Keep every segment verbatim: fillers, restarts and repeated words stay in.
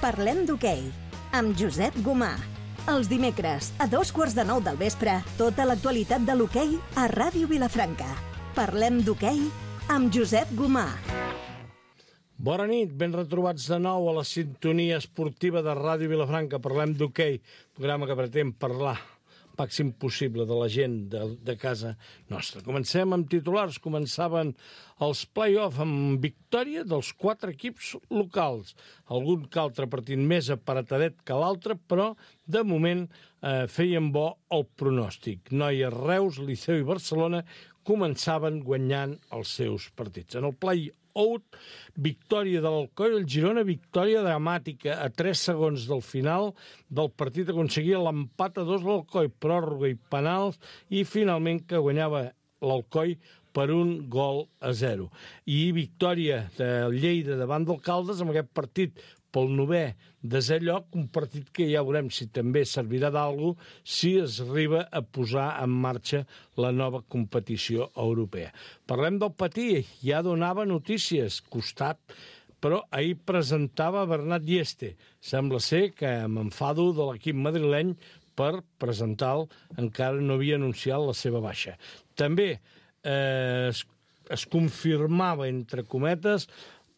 Parlem d'hoquei, amb Josep Gomà. Els dimecres, a dos quarts de nou del vespre, tota l'actualitat de l'hoquei a Ràdio Vilafranca. Parlem d'hoquei amb Josep Gomà. Bona nit, ben retrobats de nou a la sintonia esportiva de Ràdio Vilafranca. Parlem d'hoquei, programa que pretén parlar màxim possible de la gent de, de casa nostra. Comencem amb titulars. Començaven els play-off amb victòria dels quatre equips locals. Algun que altre partit més aparatadet que l'altre, però de moment eh, feien bo el pronòstic. Noies, Reus, Liceu i Barcelona començaven guanyant els seus partits. En el play-off out, victòria de l'Alcoi, el Girona, victòria dramàtica a tres segons del final del partit, aconseguia l'empat a dos de l'Alcoi, pròrroga i penals, i finalment que guanyava l'Alcoi per un gol a zero. I victòria de Lleida davant del Caldes amb aquest partit pel novè desè lloc, un partit que ja veurem si també servirà d'algú si es arriba a posar en marxa la nova competició europea. Parlem del Patí, ja donava notícies, costat, però ahir presentava Bernat Dieste. Sembla ser que m'enfado de l'equip madrileny per presentar-lo, encara no havia anunciat la seva baixa. També eh, es, es confirmava, entre cometes,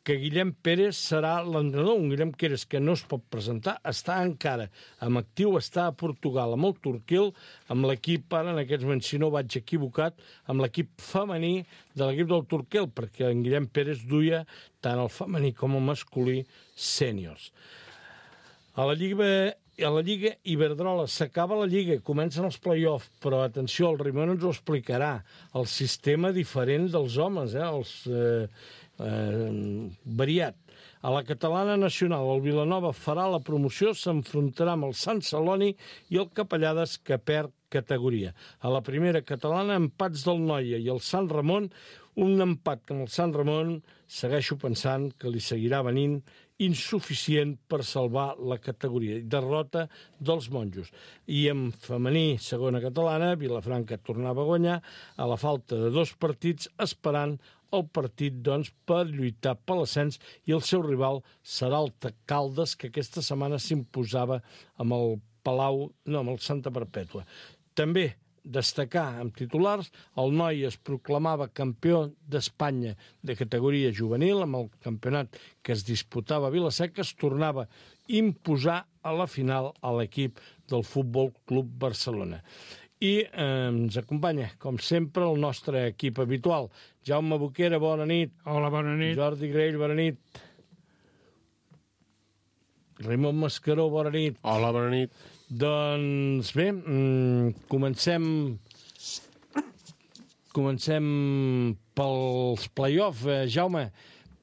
que Guillem Pérez serà l'entrenador, un Guillem Pérez que no es pot presentar, està encara amb actiu, està a Portugal, amb el Torquil, amb l'equip, ara en aquests moments, si no vaig equivocat, amb l'equip femení de l'equip del Torquil, perquè en Guillem Pérez duia tant el femení com el masculí sèniors. A la Lliga... A la Lliga Iberdrola s'acaba la Lliga, comencen els play-off, però atenció, el Ramon ens ho explicarà, el sistema diferent dels homes, eh, els eh, eh, variat. A la Catalana Nacional, el Vilanova farà la promoció, s'enfrontarà amb el Sant Celoni i el Capellades, que perd categoria. A la primera catalana, empats del Noia i el Sant Ramon, un empat que amb el Sant Ramon segueixo pensant que li seguirà venint insuficient per salvar la categoria. Derrota dels monjos. I en femení, segona catalana, Vilafranca tornava a guanyar a la falta de dos partits, esperant el partit, doncs, per lluitar per l'ascens, i el seu rival serà el Caldes, que aquesta setmana s'imposava amb el Palau, no, amb el Santa Perpètua. També destacar amb titulars, el Noi es proclamava campió d'Espanya de categoria juvenil, amb el campionat que es disputava a Vila-seca, es tornava a imposar a la final a l'equip del Futbol Club Barcelona. I eh, ens acompanya, com sempre, el nostre equip habitual. Jaume Boquera, bona nit. Hola, bona nit. Jordi Grell, bona nit. Raimon Mascaró, bona nit. Hola, bona nit. Doncs bé, comencem comencem pels play-off. Eh, Jaume,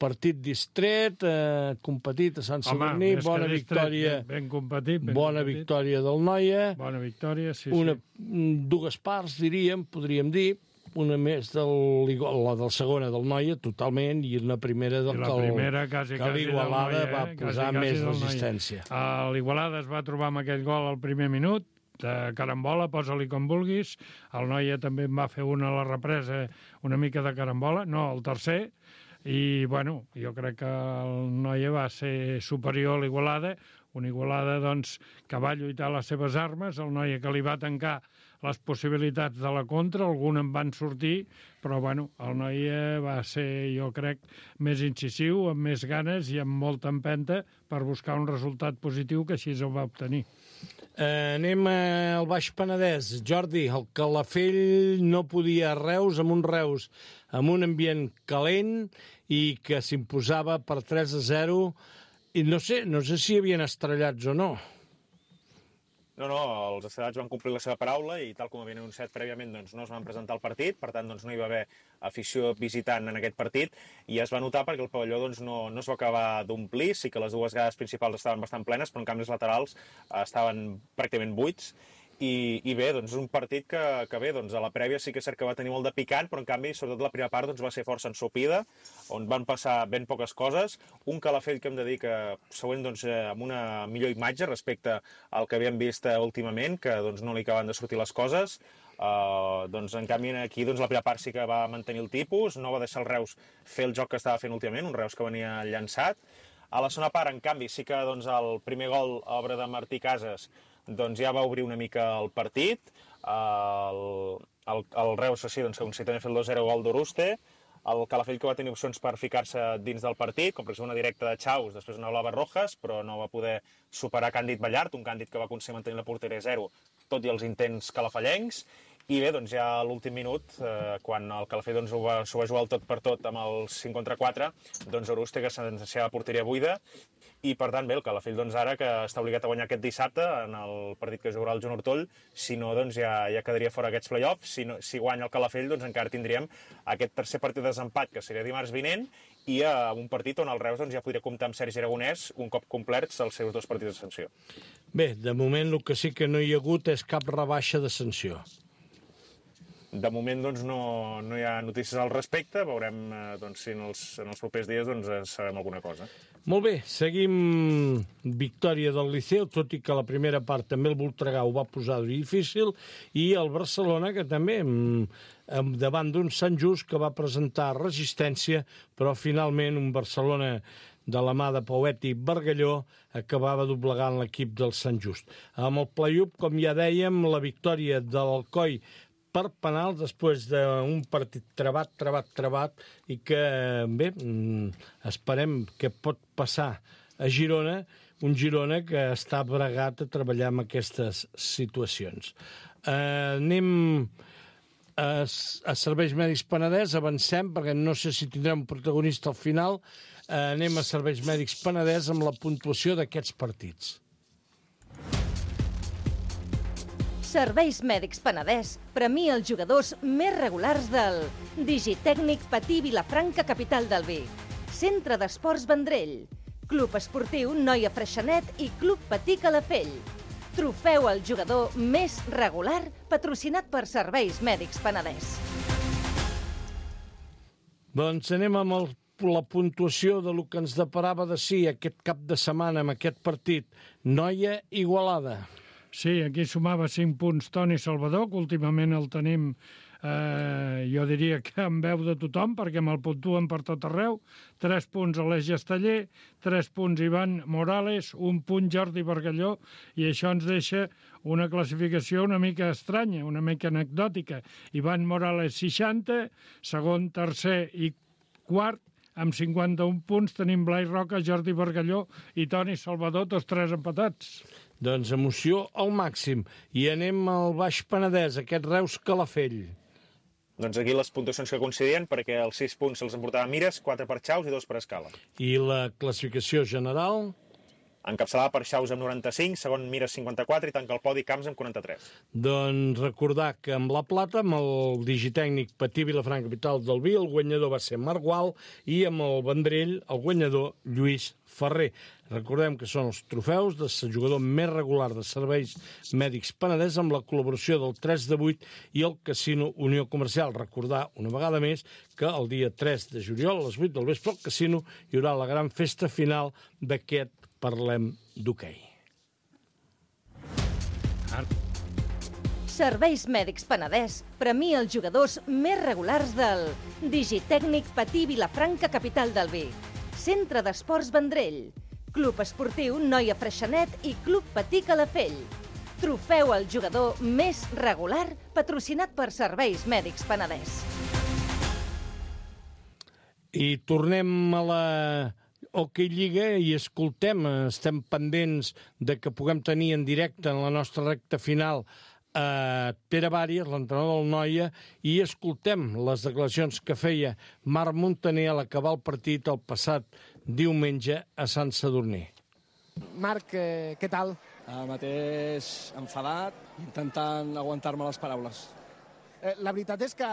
partit distret, eh, competit a Sant Sadurní, bona victòria, ben, ben competit, ben bona competit. victòria del Noia. Bona victòria, sí, Una, sí. Dues parts, diríem, podríem dir, una més del, la del segona del Noia, totalment, i una primera del I la primera, quasi, que l'Igualada eh? va posar quasi, més quasi resistència. Uh, L'Igualada es va trobar amb aquell gol al primer minut, de carambola, posa-li com vulguis. El Noia també en va fer una a la represa, una mica de carambola, no, el tercer, i, bueno, jo crec que el Noia va ser superior a l'Igualada, una Igualada, doncs, que va lluitar les seves armes, el Noia que li va tancar les possibilitats de la contra, alguns en van sortir, però, bueno, el Noia va ser, jo crec, més incisiu, amb més ganes i amb molta empenta per buscar un resultat positiu, que així el va obtenir. Eh, anem al Baix Penedès. Jordi, el Calafell no podia a Reus, amb un Reus amb un ambient calent i que s'imposava per tres a zero, i no sé, no sé si hi havien estrellats o no. No, no, els estrellats van complir la seva paraula i tal com havien anunciat prèviament doncs, no es van presentar al partit, per tant doncs, no hi va haver afició visitant en aquest partit i es va notar perquè el pavelló doncs, no, no es va acabar d'omplir, sí que les dues grades principals estaven bastant plenes, però en canvi els laterals eh, estaven pràcticament buits. I, i bé, doncs és un partit que, que bé, doncs a la prèvia sí que és cert que va tenir molt de picant, però en canvi, sobretot la primera part, doncs va ser força ensopida, on van passar ben poques coses. Un Calafell que hem de dir que següent doncs, amb una millor imatge respecte al que havíem vist últimament, que doncs, no li acaben de sortir les coses. Uh, doncs en canvi aquí doncs, la primera part sí que va mantenir el tipus, no va deixar el Reus fer el joc que estava fent últimament, un Reus que venia llançat. A la segona part, en canvi, sí que doncs, el primer gol, obra de Martí Casas, doncs, ja va obrir una mica el partit. El, el, el Reus, sí, doncs, com si també ha fet el dos zero gol d'Uruste. El Calafell, que va tenir opcions per ficar-se dins del partit, com per exemple una directa de Chaus, després una blava Rojas, però no va poder superar Càndid Ballart, un Càndid que va aconseguir mantenir la porteria zero, tot i els intents calafellencs. I bé, doncs ja a l'últim minut, eh, quan el Calafell doncs, ho va, s'ho va jugar el tot per tot amb el cinc contra quatre, doncs Uruste, que sentenciava la porteria buida, i per tant, bé, el Calafell doncs, ara que està obligat a guanyar aquest dissabte en el partit que jugarà el Joan Ortoll, si no, doncs ja, ja quedaria fora aquests play-offs. Si, no, si guanya el Calafell, doncs encara tindríem aquest tercer partit de desempat, que seria dimarts vinent, i a un partit on el Reus doncs, ja podria comptar amb Sergi Aragonès un cop complerts els seus dos partits de sanció. Bé, de moment el que sí que no hi ha hagut és cap rebaixa de sanció. De moment doncs, no, no hi ha notícies al respecte, veurem eh, doncs, si en els, en els propers dies doncs, sabem alguna cosa. Molt bé, seguim victòria del Liceu, tot i que la primera part també el Voltregà ho va posar difícil, i el Barcelona, que també davant d'un Sant Just que va presentar resistència, però finalment un Barcelona de la mà de Pauet i Bargalló acabava doblegant l'equip del Sant Just. Amb el play-off, com ja dèiem, la victòria de l'Alcoi per penals després d'un partit trebat, trebat, trebat, i que, bé, esperem que pot passar a Girona, un Girona que està bregat a treballar en aquestes situacions. Eh, anem a, a Serveis Mèdics Penedès, avancem, perquè no sé si tindrem un protagonista al final. Eh, anem a Serveis Mèdics Penedès amb la puntuació d'aquests partits. Serveis Mèdics Penedès premia els jugadors més regulars del Digitècnic Patí Vilafranca, capital del vi, Centre d'Esports Vendrell, Club Esportiu Noia Freixenet i Club Patí Calafell. Trofeu al jugador més regular patrocinat per Serveis Mèdics Penedès. Doncs anem amb el, la puntuació de lo que ens deparava de si aquest cap de setmana amb aquest partit. Noia Igualada. Sí, aquí sumava cinc punts Toni Salvador, que últimament el tenim, eh, jo diria que en veu de tothom, perquè me'l puntuen per tot arreu. Tres punts Aleix Esteller, tres punts Ivan Morales, un punt Jordi Bargalló, i això ens deixa una classificació una mica estranya, una mica anecdòtica. Ivan Morales, seixanta, segon, tercer i quart, amb cinquanta-un punts tenim Blai Roca, Jordi Bargalló i Toni Salvador, tots tres empatats. Doncs emoció al màxim. I anem al Baix Penedès, aquest Reus Calafell. Doncs aquí les puntuacions que coincidien, perquè els sis punts se'ls emportava Mires, quatre per Chaus i dos per Escala. I la classificació general? Encapçalada per Chaus amb noranta-cinc, segon Mires cinquanta-quatre i tanca el podi Camps amb quaranta-tres. Doncs recordar que amb la plata, amb el digitècnic Patí Vilafranca, capital del vi, el guanyador va ser Marc Gual, i amb el Vendrell, el guanyador Lluís Ferrer. Recordem que són els trofeus del jugador més regular de Serveis Mèdics Penedès amb la col·laboració del tres de vuit i el Casino Unió Comercial. Recordar una vegada més que el dia tres de juliol a les vuit del vespre al Casino hi haurà la gran festa final d'aquest Parlem d'Hoquei. Serveis Mèdics Penedès premia els jugadors més regulars del Digitècnic Patí Vilafranca, capital del vi, Centre d'Esports Vendrell, Club Esportiu Noia Freixenet i Club Patí Calafell. Trofeu al jugador més regular patrocinat per Serveis Mèdics Penedès. I tornem a la Hockey Lliga i escoltem, estem pendents de que puguem tenir en directe en la nostra recta final a Pere Bàries, l'entrenador del Noia, i escoltem les declaracions que feia Marc Montaner a l'acabar el partit el passat diumenge a Sant Sadurní. Marc, eh, què tal? Ara mateix enfadat, intentant aguantar-me les paraules. Eh, la veritat és que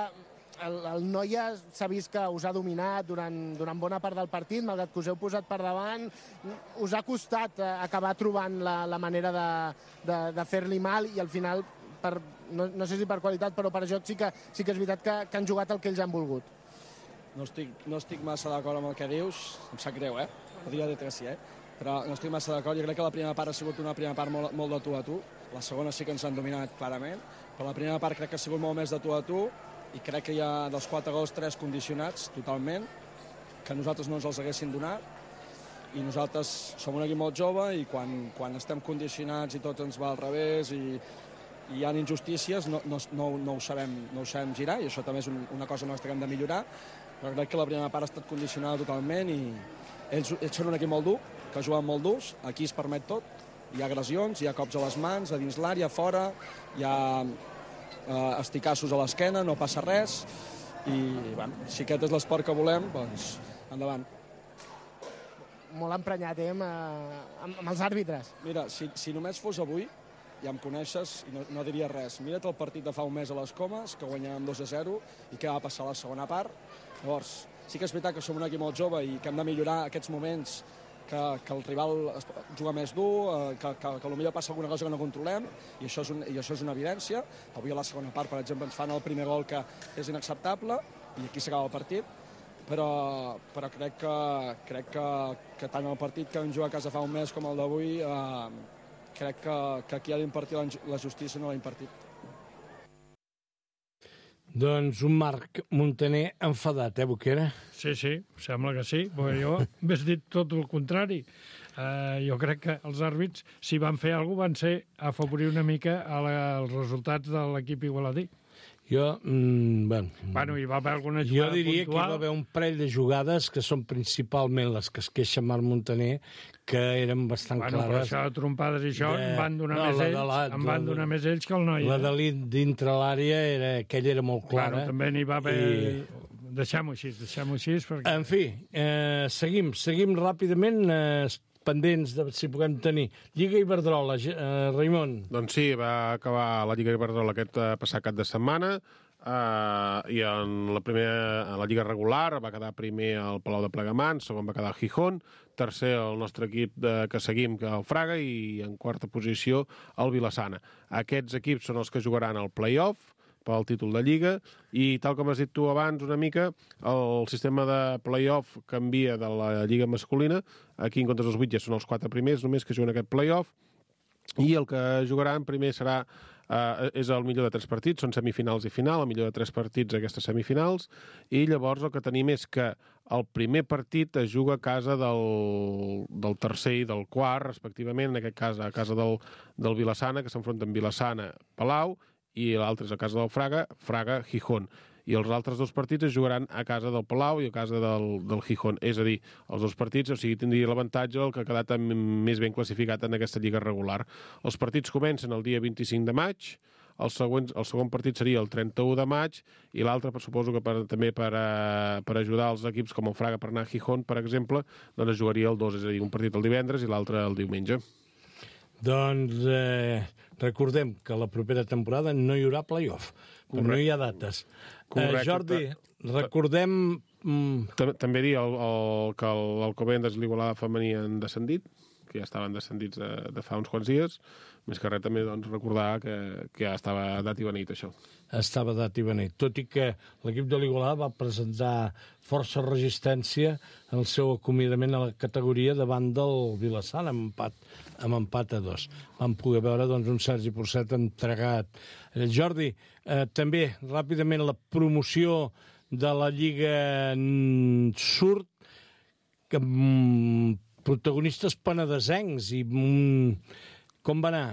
el, el Noia s'ha vist que us ha dominat durant, durant bona part del partit, malgrat que us heu posat per davant. Us ha costat eh, acabar trobant la, la manera de, de, de fer-li mal i al final, per, no, no sé si per qualitat, però per joc sí que, sí que és veritat que, que han jugat el que ells han volgut. No estic, no estic massa d'acord amb el que dius, em sap greu, eh? Podria dir que sí, eh? Però no estic massa d'acord. Jo crec que la primera part ha sigut una primera part molt, molt de tu a tu. La segona sí que ens han dominat clarament, però la primera part crec que ha sigut molt més de tu a tu i crec que hi ha dels quatre gols, tres condicionats totalment, que nosaltres no ens els haguessin donat. i nosaltres som un equip molt jove i quan, quan estem condicionats i tot ens va al revés i, i hi ha injustícies, no, no, no, no, ho sabem, no ho sabem girar, i això també és un, una cosa nostra que hem de millorar, però crec que la primera part ha estat condicionada totalment i ells, ells són un equip molt dur, que juguen molt durs, aquí es permet tot, hi ha agressions, hi ha cops a les mans, a dins l'àrea, a fora, hi ha eh, esticassos a l'esquena, no passa res, i bueno, si aquest és l'esport que volem, doncs endavant. Molt emprenyat, eh, amb, amb, amb els àrbitres. Mira, si, si només fos avui, ja em coneixes i no, no diria res. Mira't el partit de fa un mes a les Comes, que guanyàvem dos a zero, i què va passar a la segona part. Llavors, sí que és veritat que som un equip molt jove i que hem de millorar aquests moments que, que el rival juga més dur, que, que, que potser passa alguna cosa que no controlem, i això, és un, i això és una evidència. Avui a la segona part, per exemple, ens fan el primer gol que és inacceptable, i aquí s'acaba el partit. Però, però crec, que, crec que, que tant el partit que vam jugar a casa fa un mes com el d'avui, eh, crec que, que aquí ha d'impartir la, la justícia no l'ha impartit. Doncs un Marc Muntaner enfadat, eh, Boquera? Sí, sí, sembla que sí, perquè jo m'has dit tot el contrari. Uh, jo crec que els àrbits, si van fer alguna cosa, van ser afavorir una mica a la, als resultats de l'equip igualadí. Jo, mm, bueno, bueno, hi va haver alguna jo jugada diria puntual. que hi va haver un parell de jugades que són principalment les que es queixa Marc Muntaner, que eren bastant bueno, clares. Bueno, però això de trompades i això de... em van donar, no, més, ells, la, em van donar més ells que el noi. La eh? de dintre l'àrea, era, aquella era molt clara. Bueno, també n'hi va haver... I... Deixem-ho així, deixem-ho així. Perquè... En fi, eh, seguim, seguim ràpidament, eh, pendents de si puguem tenir. Lliga Iberdrola, eh, Raimon. Doncs sí, va acabar la Lliga Iberdrola aquest eh, passat cap de setmana, Uh, i en la primera, en la Lliga regular va quedar primer el Palau de Plegamans, segon va quedar el Gijón, tercer el nostre equip de, que seguim, que el Fraga, i en quarta posició el Vilassana. Aquests equips són els que jugaran al play-off pel títol de Lliga, i tal com has dit tu abans una mica, el sistema de play-off canvia de la Lliga masculina. Aquí en comptes dels vuit ja són els quatre primers només que juguen aquest play-off, i el que jugaran primer serà Uh, és el millor de tres partits, són semifinals i final, el millor de tres partits aquestes semifinals, i llavors el que tenim és que el primer partit es juga a casa del, del tercer i del quart, respectivament, en aquest cas a casa del, del Vilassana, que s'enfronten Vilassana-Palau, i l'altre és a casa del Fraga, Fraga-Gijón. I els altres dos partits es jugaran a casa del Palau i a casa del, del Gijón. És a dir, els dos partits, o sigui, tindria l'avantatge el que ha quedat més ben classificat en aquesta lliga regular. Els partits comencen el dia vint-i-cinc de maig, el, següent, el segon partit seria el trenta-u de maig, i l'altre, suposo que per, també per, a, per ajudar els equips com el Fraga per anar a Gijón, per exemple, doncs es jugaria el dos, és a dir, un partit el divendres i l'altre el diumenge. Doncs eh, recordem que la propera temporada no hi haurà play-off, però no hi ha dates. Eh, Jordi, recordem... Mm... També dir el, el, que l'Alcobendas i l'Igualada femení han descendit, que ja estaven descendits de, de fa uns quants dies. Més que res també doncs, recordar que, que ja estava dat i beneit, això. Estava dat i beneit, tot i que l'equip de l'Igualada va presentar força resistència en el seu acomiadament a la categoria davant del Vilassana, amb empat, amb empat a dos. Vam poder veure doncs, un Sergi Porcet entregat. Eh, Jordi, eh, també ràpidament la promoció de la Lliga Surt, que mm, protagonistes penedesencs i mm, com va anar?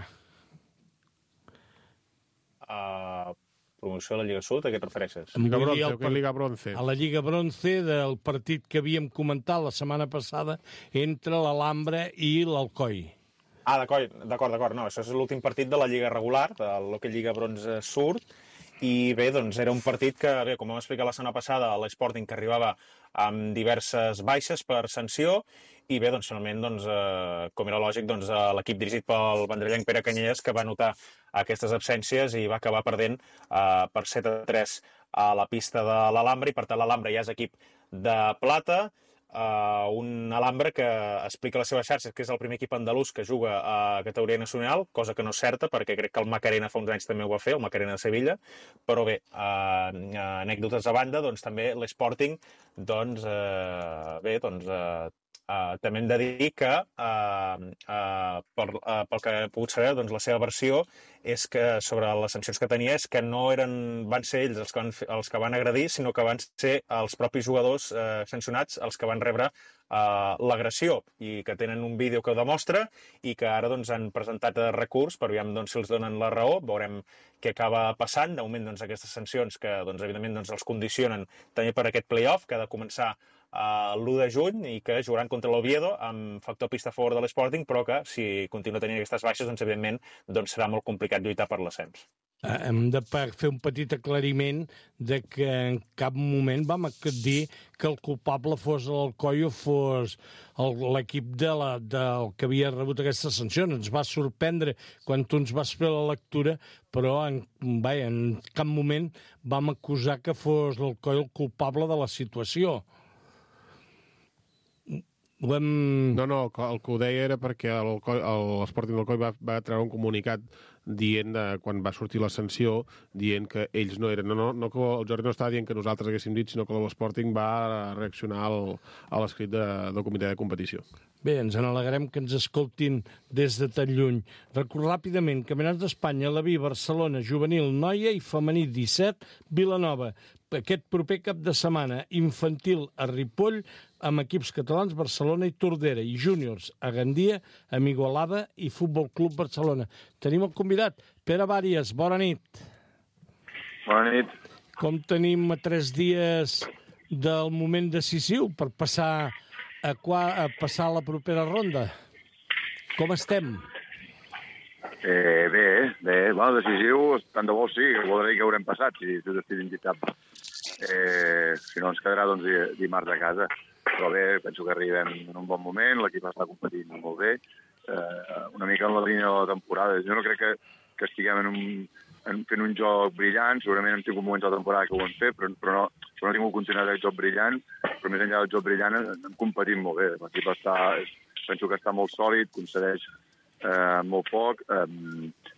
Uh, promoció de la Lliga Sud, a què et refereixes? Lliga Bronce, o què Lliga Bronce? A la Lliga Bronce del partit que havíem comentat la setmana passada entre l'Alhambra i l'Alcoi. Ah, d'acord, d'acord, d'acord. No, això és l'últim partit de la Lliga regular, de lo que Lliga Bronze Surt, i bé, doncs era un partit que, bé, com vam explicar la setmana passada, l'Sporting que arribava amb diverses baixes per sanció, i bé, doncs finalment, doncs, eh, com era lògic, doncs, l'equip dirigit pel vendrellenc Pere Canyelles, que va notar aquestes absències i va acabar perdent eh, per set a tres a la pista de l'Alhambra, i per tant l'Alhambra ja és equip de plata, Uh, un Alhambra que explica a les seves xarxes que és el primer equip andalús que juga a categoria nacional, cosa que no és certa, perquè crec que el Macarena fa uns anys també ho va fer, el Macarena de Sevilla, però bé, uh, anècdotes a banda, doncs també l'Sporting, doncs, uh, bé, doncs, uh, Uh, també hem de dir que, uh, uh, per, uh, pel que he pogut saber, doncs, la seva versió és que sobre les sancions que tenia és que no eren, van ser ells els que van, els que van agredir, sinó que van ser els propis jugadors uh, sancionats els que van rebre uh, l'agressió i que tenen un vídeo que ho demostra i que ara doncs, han presentat recurs per aviam doncs, si els donen la raó. Veurem què acaba passant. De moment, doncs, aquestes sancions que doncs, evidentment doncs, els condicionen també per aquest play-off que ha de començar Uh, l'u de juny i que jugaran contra l'Oviedo amb factor pista a favor de l'Sporting, però que si continua tenint aquestes baixes, doncs evidentment doncs serà molt complicat lluitar per l'ascens. Uh, hem de fer un petit aclariment de que en cap moment vam dir que el culpable fos l'Alcoi o fos l'equip de la, del que havia rebut aquestes sancions. Ens va sorprendre quan tu ens vas fer la lectura, però en, vaja, en cap moment vam acusar que fos l'Alcoi el culpable de la situació. Hem... No, no, el que ho deia era perquè l'Sporting d'Alcoi va, va treure un comunicat dient, de, quan va sortir la sanció, dient que ells no eren... No, no, no que el Jordi no estava dient que nosaltres haguéssim dit, sinó que l'Sporting va reaccionar al, a l'escrit de, del comitè de competició. Bé, ens n'alegrem que ens escoltin des de tan lluny. Record ràpidament, Campionats d'Espanya, la Vi, Barcelona, Juvenil, Noia i Femení disset, Vilanova. Aquest proper cap de setmana, infantil a Ripoll, amb equips catalans, Barcelona i Tordera, i júniors a Gandia, amb Igualada i Futbol Club Barcelona. Tenim el convidat, Pere Bàries, bona nit. Bona nit. Com tenim a tres dies del moment decisiu per passar a, qua, a passar a la propera ronda? Com estem? Eh, bé, bé, bueno, decisiu, tant de bo sí, voldrà dir que haurem passat, si tu t'estic indicat. Eh, si no ens quedarà, doncs, dimarts a casa. Però bé, penso que arribem en un bon moment, l'equip està competint molt bé, eh, una mica en la línia de la temporada. Jo no crec que, que estiguem en un, en, fent un joc brillant, segurament hem tingut moments de la temporada que ho hem fet, però, però no, però no hem tingut continuïtat del joc brillant, però més enllà del joc brillant hem competit molt bé. L'equip està, penso que està molt sòlid, concedeix eh, molt poc. Eh,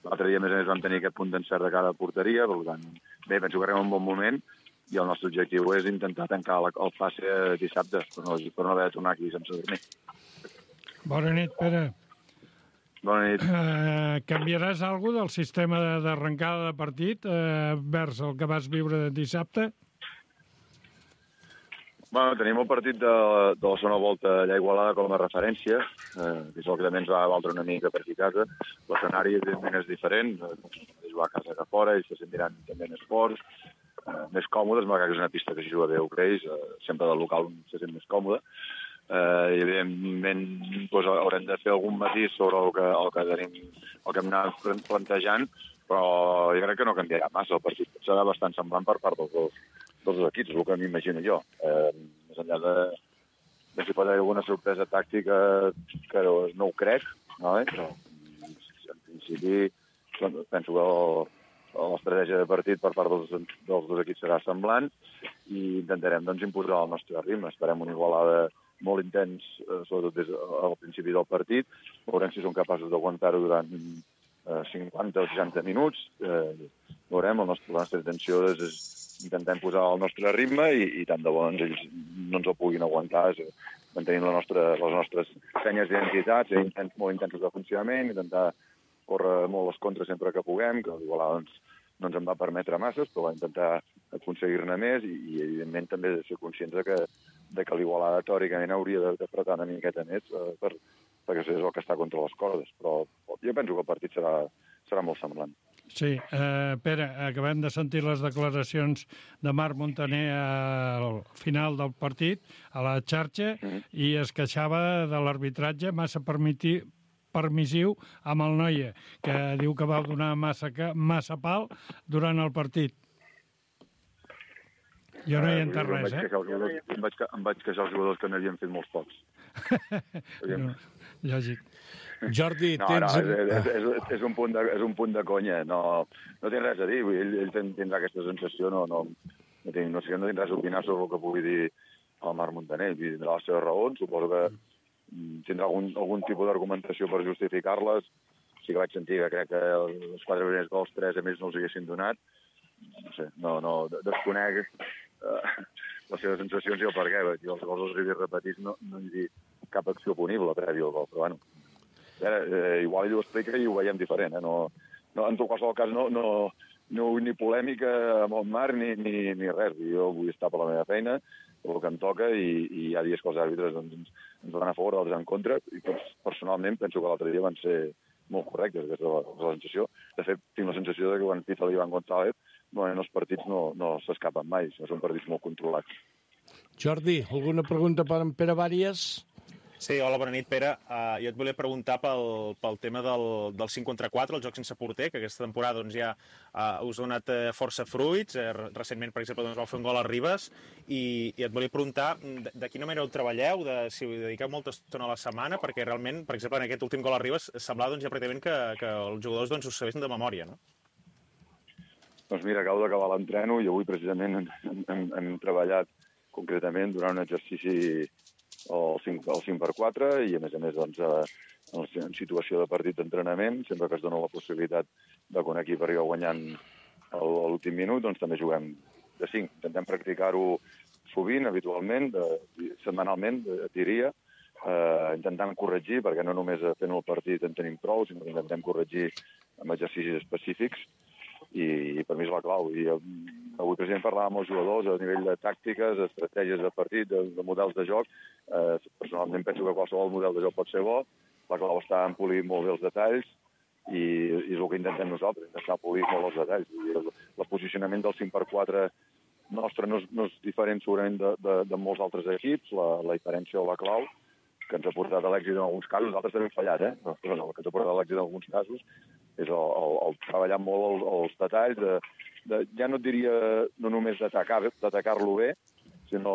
L'altre dia, més a més, vam tenir aquest punt d'encert de cada porteria, per tant, bé, penso que arribem en un bon moment, i el nostre objectiu és intentar tancar el passe dissabte, per no, per no haver de tornar aquí sense dormir. Bona nit, Pere. Bona nit. Uh, canviaràs alguna cosa del sistema d'arrencada de partit uh, vers el que vas viure dissabte? Bueno, tenim el partit de, de la segona volta allà a Igualada com a referència, eh, que és el que també ens va valdre una mica per aquí a casa. L'escenari, evidentment, és diferent, és jugar a casa que fora, ells se sentiran també més forts, Uh, més còmodes, malgrat que és una pista que s'hi juga bé a Ucreix, uh, sempre del local se sent més còmode. Uh, I evidentment doncs, haurem de fer algun matís sobre el que, el que tenim, el que hem anat plantejant, però jo crec que no canviarà massa el partit. Serà bastant semblant per part dels dos, dels dos equips, el que m'imagino jo. Uh, més enllà de, de si pot haver alguna sorpresa tàctica, que no ho crec, no, eh? Però en principi penso que el l'estratègia de partit per part dels, dels dos equips serà semblant i intentarem doncs, imposar el nostre ritme. Esperem una Igualada molt intens, eh, sobretot des al principi del partit. Veurem si som capaços d'aguantar-ho durant eh, cinquanta o seixanta minuts. Eh, veurem, el nostre, la nostra intenció és, és intentar imposar el nostre ritme i, i tant de bo doncs, ells no ens el puguin aguantar. És, mantenim la nostra, les nostres senyes d'identitat, ser intens, molt intensos de funcionament, intentar córrer molt les contres sempre que puguem, que l'Igualada doncs, no ens en va permetre masses, però va intentar aconseguir-ne més i, i evidentment, també de ser conscients de que, de que l'Igualada teòricament hauria d'apretar una miqueta més eh, per, perquè és el que està contra les cordes. Però jo penso que el partit serà, serà molt semblant. Sí, eh, Pere, acabem de sentir les declaracions de Marc Montaner al final del partit, a la xarxa, mm-hmm. i es queixava de l'arbitratge massa permitir permissiu amb el Noia, que diu que va donar massa, massa pal durant el partit. Jo no hi he entès res, eh? Em vaig, em vaig queixar els jugadors que n'havien fet molts pocs. No, lògic. Jordi, no, tens... No, és, és, és, és, un punt de, és un punt de conya. No, no tinc res a dir. Ell, ell tindrà aquesta sensació. No, no, no, tinc, no, sé, no tinc res a opinar sobre el que pugui dir el Marc Montaner. Ell tindrà les seves raons. Suposo que tindrà algun, algun tipus d'argumentació per justificar-les. Sí que vaig sentir que crec que els quatre primers gols, tres a més no els haguessin donat. No sé, no, no, desconec eh, les seves sensacions i el per què. Jo els gols els he vist repetits, no, no he dit cap acció punible prèvia al gol, però bueno, eh, igual ell ho explica i ho veiem diferent, eh? No, no, en tot qualsevol cas no, no, no vull ni polèmica amb el Marc ni, ni, ni res, jo vull estar per la meva feina, el que em toca, i, i hi ha dies que els àrbitres doncs, ens, ens van a favor, d'altres en contra, i personalment penso que l'altre dia van ser molt correctes, aquesta és la, la sensació. De fet, tinc la sensació de que quan pita l'Ivan González, bueno, els partits no, no s'escapen mai, són partits molt controlats. Jordi, alguna pregunta per en Pere Vàries? Sí, hola, bona nit, Pere. Uh, jo et volia preguntar pel, pel tema del, del cinc contra quatre, el joc sense porter, que aquesta temporada doncs, ja uh, us ha donat uh, força fruits. Uh, recentment, per exemple, doncs, vau fer un gol a Ribes, i, i et volia preguntar de, de quina manera ho treballeu, de, si ho dediqueu molta estona a la setmana, perquè realment, per exemple, en aquest últim gol a Ribes, semblava doncs, ja pràcticament que, que els jugadors doncs, us sabessin de memòria, no? Doncs mira, acabo d'acabar l'entreno i avui precisament hem, hem, hem treballat concretament durant un exercici el cinc per quatre i a més a més doncs, en situació de partit d'entrenament, sempre que es dona la possibilitat de que un equip arriba guanyant a l'últim minut, doncs també juguem de cinc. Intentem practicar-ho sovint, habitualment, de, setmanalment, diria, eh, intentant corregir, perquè no només fent el partit en tenim prou, sinó que intentem corregir amb exercicis específics, i, i per mi és la clau. I avui, president, parlàvem amb els jugadors a nivell de tàctiques, estratègies de partit, de, de models de joc. Eh, personalment penso que qualsevol model de joc pot ser bo. La clau està en polir molt bé els detalls i, i és el que intentem nosaltres, intentar polir molt els detalls. I el, el posicionament del cinc per quatre nostre no és, no és diferent segurament de, de, de molts altres equips. La, la diferència o la clau que ens ha portat a l'èxit en alguns casos, nosaltres també hem fallat, eh? Però no, el que ens ha portat a l'èxit en alguns casos és el, el, el treballar molt el, els detalls, de, de, ja no et diria no només d'atacar-lo bé, sinó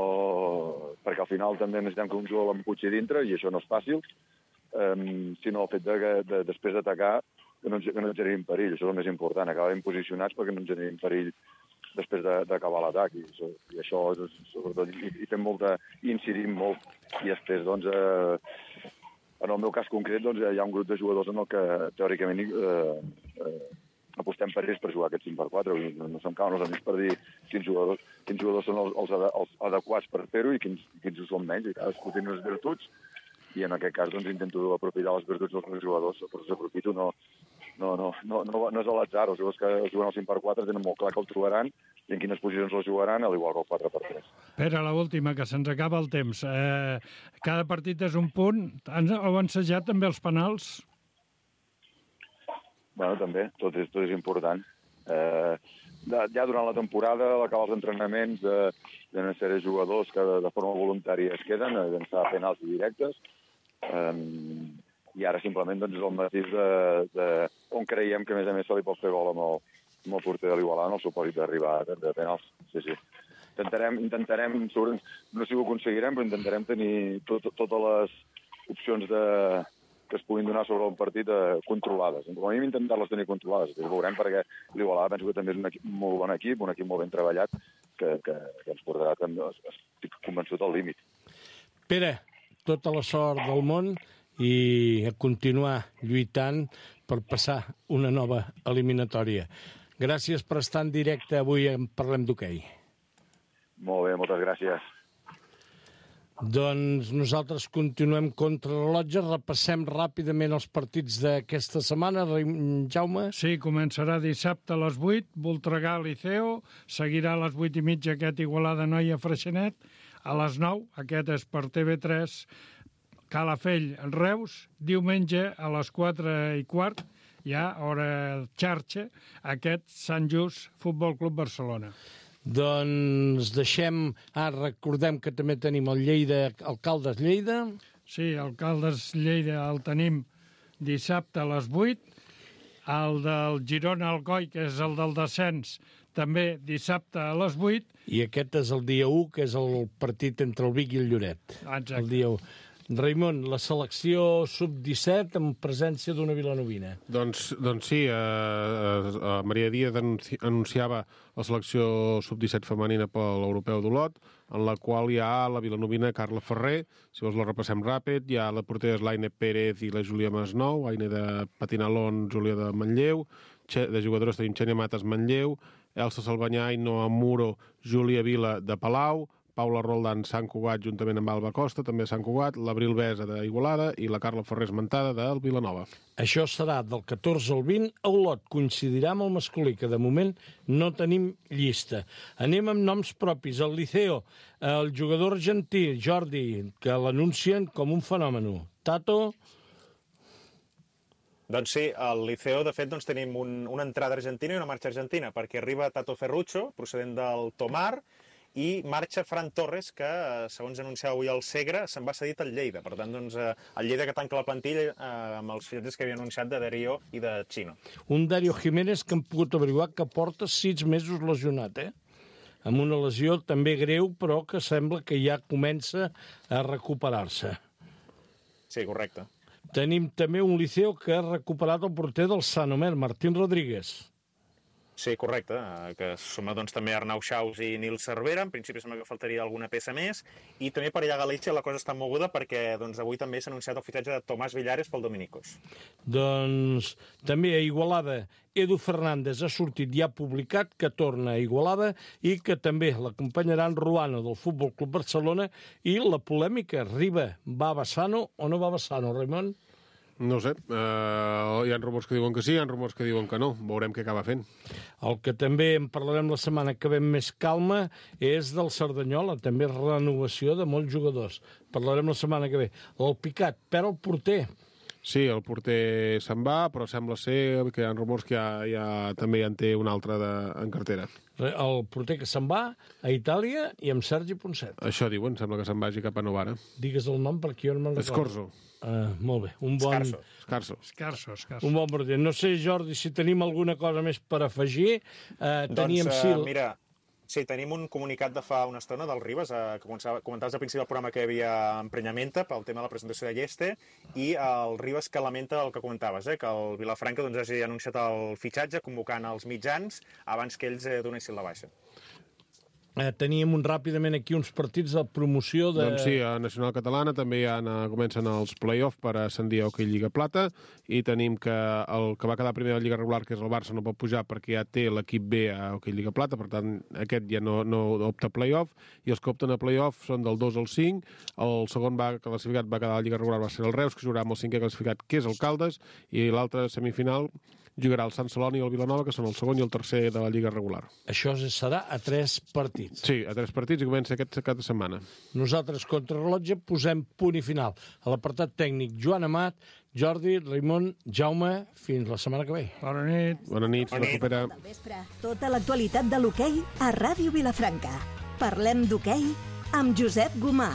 perquè al final també necessitem que un jugador l'empuixi dintre, i això no és fàcil, um, sinó el fet de que de, després d'atacar que no, que no ens generin perill, això és el més important, acabar ben posicionats perquè no ens generin perill després d'acabar l'atac, i, i això és, sobretot, i, i fem molta, i incidim molt, i després, doncs, eh, en el meu cas concret, doncs, hi ha un grup de jugadors en el que, teòricament, eh, eh, apostem per ells per jugar aquest cinc per quatre, no, no se'm cauen els amics per dir quins jugadors, quins jugadors són els, els, els adequats per fer-ho i quins, quins ho són menys, i cadascú té unes virtuts, i en aquest cas, doncs, intento aprofitar les virtuts dels meus jugadors, però s'aprofito, no, no, no, no, no, no és a l'atzar, els jugadors que juguen al cinc per quatre tenen molt clar que el trobaran i en quines posicions el jugaran, al igual que el quatre per tres. Pere, l'última, que se'ns acaba el temps. Eh, cada partit és un punt. Heu ensajat també els penals? Bueno, també, tot és, tot és important. Eh, de, ja durant la temporada, a l'acabar els entrenaments de, de una sèrie de jugadors que de, de forma voluntària es queden a llançar penals directes, eh, i ara simplement doncs, és el matís de, de on creiem que a més a més se li pot fer gol amb el, amb el porter de l'Igualada en el supòsit d'arribar de penals. Sí, sí. Intentarem, intentarem, no sé si ho aconseguirem, però intentarem tenir tot, totes les opcions de, que es puguin donar sobre el partit eh, controlades. Com a mínim intentar-les tenir controlades. Ho veurem perquè l'Igualada penso que també és un equip molt bon equip, un equip molt ben treballat, que, que, que ens portarà, també, estic convençut, al límit. Pere, tota la sort del món i a continuar lluitant per passar una nova eliminatòria. Gràcies per estar en directe avui en Parlem d'Hoquei. Molt bé, moltes gràcies. Doncs nosaltres continuem contra rellotge, repassem ràpidament els partits d'aquesta setmana. Jaume? Sí, començarà dissabte a les vuit, Voltregà Liceo, seguirà a les vuit i mitja aquest Igualada Noia Freixenet, a les nou, aquest és per T V tres, Calafell, Reus, diumenge a les quatre i quart, ja, hora xarxa, aquest Sant Just Futbol Club Barcelona. Doncs deixem... Ah, recordem que també tenim el Lleida, el Caldes Lleida. Sí, el Caldes Lleida el tenim dissabte a les vuit, el del Girona Alcoi, que és el del descens, també dissabte a les vuit. I aquest és el dia u, que és el partit entre el Vic i el Lloret. Exacte. El dia u. Raimon, la selecció sub disset amb presència d'una vilanovina. Doncs, doncs sí, eh, eh, Maria Díaz anunciava la selecció sub disset femenina per l'Europeu d'Olot, en la qual hi ha la vilanovina Carla Ferrer, si vols la repassem ràpid, hi ha la portera l'Aine Pérez i la Júlia Masnou, Aine de Patinalón, Júlia de Manlleu, de jugadores tenim Xènia Mates Manlleu, Elsa Salvanyà, Ainhoa Muro, Júlia Vila de Palau, Paula Roldán Sant Cugat juntament amb Alba Costa, també Sant Cugat, l'Abril Besa d'Igualada i la Carla Ferrer esmentada del Vilanova. Això serà del catorze al vint a Olot. Coincidirà amb el masculí, que de moment no tenim llista. Anem amb noms propis. El Liceo, el jugador argentí, Jordi, que l'anuncien com un fenomen. Tato... Doncs sí, al Liceo, de fet, doncs, tenim un, una entrada argentina i una marxa argentina, perquè arriba Tato Ferruccio, procedent del Tomar, i marxa Fran Torres, que, segons anunciava avui el Segre, se'n va cedit al Lleida. Per tant, doncs, el Lleida que tanca la plantilla eh, amb els fitxatges que havia anunciat de Darío i de Chino. Un Darío Jiménez que hem pogut averiguar que porta sis mesos lesionat, eh? Amb una lesió també greu, però que sembla que ja comença a recuperar-se. Sí, correcte. Tenim també un Liceo que ha recuperat el porter del Sant Omer, Martín Rodríguez. Sí, correcte, que suma doncs, també Arnau Xaus i Nil Cervera. En principi sembla que faltaria alguna peça més. I també per allà a Galícia la cosa està moguda perquè doncs, avui també s'ha anunciat el fitxatge de Tomàs Villares pel Dominicos. Doncs també a Igualada, Edu Fernández ha sortit i ha publicat que torna a Igualada i que també l'acompanyaran Ruano del Futbol Club Barcelona i la polèmica, Riba, va a Bassano o no va a Bassano, Raimon? No ho sé, uh, hi ha rumors que diuen que sí, hi ha rumors que diuen que no. Veurem què acaba fent. El que també en parlarem la setmana que ve més calma és del Cerdanyola, també renovació de molts jugadors. Parlarem la setmana que ve. El Picat perd el porter. Sí, el porter se'n va, però sembla ser que hi ha rumors que ja, ja també ja en té un altre de, en cartera. El porter que se'n va a Itàlia i amb Sergi Ponset. Això diuen, sembla que se'n vagi cap a Novara. Digues el nom perquè jo no me'n recordo. Escorzo. Uh, molt bé. Un bon... Escarso. Escarso. Escarso, escarso. Un bon porter. No sé, Jordi, si tenim alguna cosa més per afegir. Uh, teníem doncs, Sil... uh, mira, sí, tenim un comunicat de fa una estona del Ribas, eh, que comentaves al principi del programa que hi havia emprenyamenta pel tema de la presentació de Lleste, i el Ribas que lamenta el que comentaves, eh, que el Vilafranca doncs, hagi anunciat el fitxatge convocant els mitjans abans que ells eh, donessin la baixa. Eh, teníem un, ràpidament aquí uns partits de promoció de... Doncs sí, a Nacional Catalana també ja comencen els play-off per ascendir a Hockey Lliga Plata i tenim que el que va quedar primer de la Lliga Regular, que és el Barça, no pot pujar perquè ja té l'equip B a Hockey Lliga Plata, per tant aquest ja no, no opta a play-off, i els que opten a play-off són del dos al cinc, el segon va classificat va quedar a la Lliga Regular va ser el Reus, que jugarà amb el cinquè classificat, que és el Caldes, i l'altre semifinal jugarà el Sant Celoni i el Vilanova, que són el segon i el tercer de la Lliga Regular. Això serà a tres partits. Sí, a tres partits i comença aquest cap de setmana. Nosaltres, contra rellotge, posem punt i final. A l'apartat tècnic, Joan Amat, Jordi, Raimon, Jaume, fins la setmana que ve. Bona nit. Bona nit, Bona nit. recupera. Del vespre, tota l'actualitat de l'hoquei a Ràdio Vilafranca. Parlem d'hoquei amb Josep Gomà.